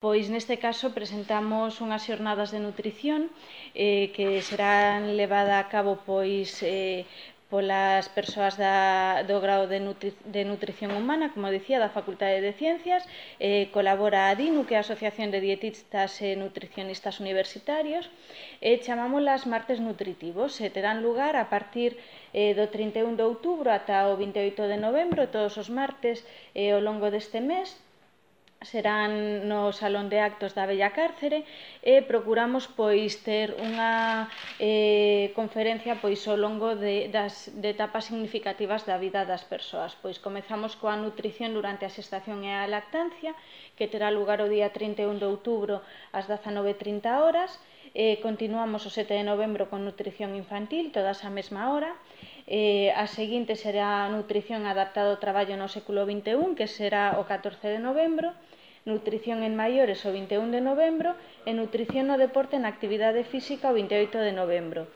Pois neste caso presentamos unhas xornadas de nutrición que serán levada a cabo polas persoas do grao de nutrición humana, como dicía, da Facultade de Ciencias. Colabora a DINU, que é a Asociación de Dietistas e Nutricionistas Universitarios. Chamámolas martes nutritivos. Terán lugar a partir do 31 de outubro ata o 28 de novembro, todos os martes ao longo deste mes. Serán no Salón de Actos da Bella Cárcere e procuramos ter unha conferencia ao longo das etapas significativas da vida das persoas. Comezamos coa nutrición durante a xestación e a lactancia, que terá lugar o día 31 de outubro ás 19:30 horas. Continuamos o 7 de novembro con nutrición infantil, todas á mesma hora. A seguinte será a nutrición adaptada ao traballo no século XXI, que será o 14 de novembro, nutrición en maiores o 21 de novembro e nutrición no deporte e na actividade física o 28 de novembro.